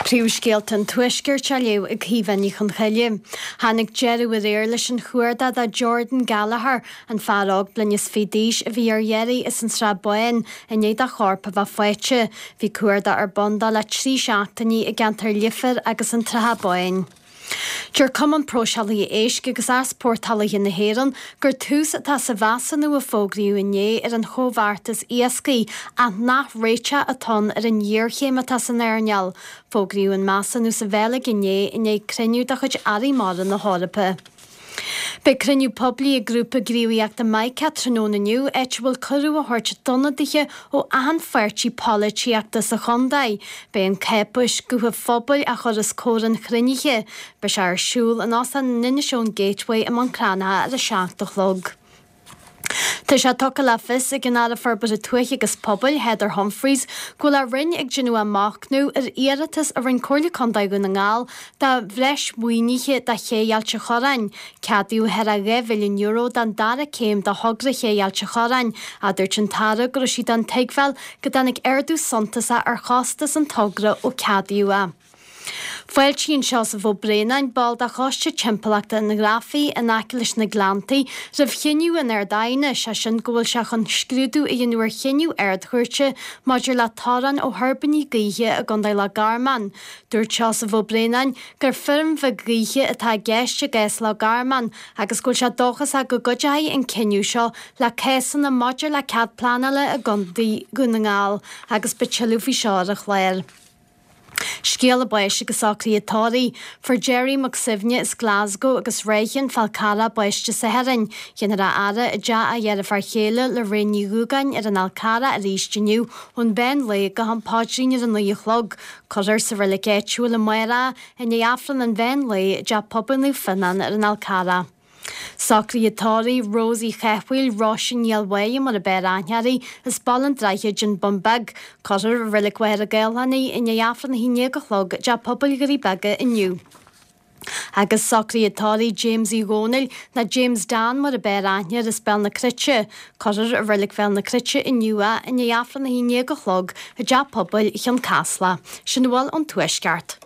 Príomhscéalta an Tuaiscirt á léamh ag Caoimhe Ní Chonchoille. Tháinig deireadh aréir leis an chuardach do Jordan Gallagher, an fear óg bliain is fiche d'aois a bhí ar iarraidh as an Srath Bán i ndiaidh dá chorp a bheith faighte. Bhí cuardach ar bun dó le 3 seachtainí i gceantar Leifear agus an tSratha Báin. Deir Cumann Próiseálaithe Éisc agus Easpórtálaithe na hÉireann gur tús atá sa mheasúnú a fógraíodh inné ar an chomhbheartas iascaigh ach nach réiteach atá ann ar an ghéarchéim atá san earnáil. Fógraíodh an measúnú sa Bheilg inné i ndiaidh cruinniú de chuid Airí Mara na hEorpa. Beidh cruinniú poiblí ag grúpa gníomhaíochta Mica tráthnóna inniu, áit a bhfuil cuireadh á thabhairt d'ionadaithe ó achan pháirtí polaitíochta sa chontae. Beidh an cáipéis Guth an Phobail á chur os comhair an chruinnithe. Beidh sé ar siúl in Óstán an Inishowen Gateway i mBun Cranncha ar a 7 a chlog. Tá sé tugtha le fios ag an Aire Forbartha Tuaithe agus Pobail, Heather Humphreys, go bhfuil a Roinn ag déanamh a machnamh ar iarratas a rinne Comhairle Contae Dhún na nGall do bhreis maoinithe do Ché Ailt an Chorráin. Ceadaíodh thar €2 mhilliún don dara céim de thogra Ché Ailt an Chorráin, ach dúirt an tAire go raibh sí den tuigbheáil go dtáinig ardú suntasach ar chostas an togra ó ceadaíodh é. Fáiltíonn Seosamh Ó Braonáin, ball de Choiste Timpeallachta an Ghrafaidh in aice leis na Gleanntaí, roimh chinneadh an Ard-Aighne, sé sin go bhfuil sé chun scrúdú a dhéanamh ar chinneadh Ard-Chúirte maidir le torann ó thuirbíní gaoithe i gContae Loch Garman. Dúirt Seosamh Ó Braonáin gur feirm bheag ghaoithe atá i gceist i gcás Loch Garman agus go bhfuil sé dóchasach go gcuideoidh an cinneadh seo le cásanna maidir le cead pleanála i gContae Dhún na nGall agus beidh tuilleadh faoi seo ar an chlár. Scéala báis agus socruithe tórraimh. Fuair Gerry Mac Suibhne as Glasgow agus Ráithín, Fál Carrach, bás Dé Sathairn. Déanfar a fhaire i dteach a dheirféar chéile, Lorraine Ní Dhúgáin, ar an Fhál Carrach arís inniu ón mheán lae go ham paidrín ar a 9 a chlog. Cuirfear sa reilig áitiúil amárach é i ndiaidh Aifreann an mheán lae i dTeach Pobail Naomh Fionnán ar an Fhál Carrach. Socruithe tórraimh, Rose Uí Chathmhaoil, Róise Ní Fheilbháighe mar ab fhearr aithne uirthi, as Baile an Droichid, An Bun Beag. Cuirfear i Reilig Mhachaire Gathlán í i ndiaidh Aifreann 11 a chlog i dTeach Pobail Dhoirí Beaga inniu. Agus socruithe tórraimh James Uí Dhónaill, nó James Dan mar ab fhearr aithne air as Béal na Cruite. Cuirfear i Reilig Bhéal na Cruite inniu é i ndiaidh Aifreann 11 a chlog i dTeach Pobail Chionn Caslach. Sin a bhfuil ón Tuaisceart.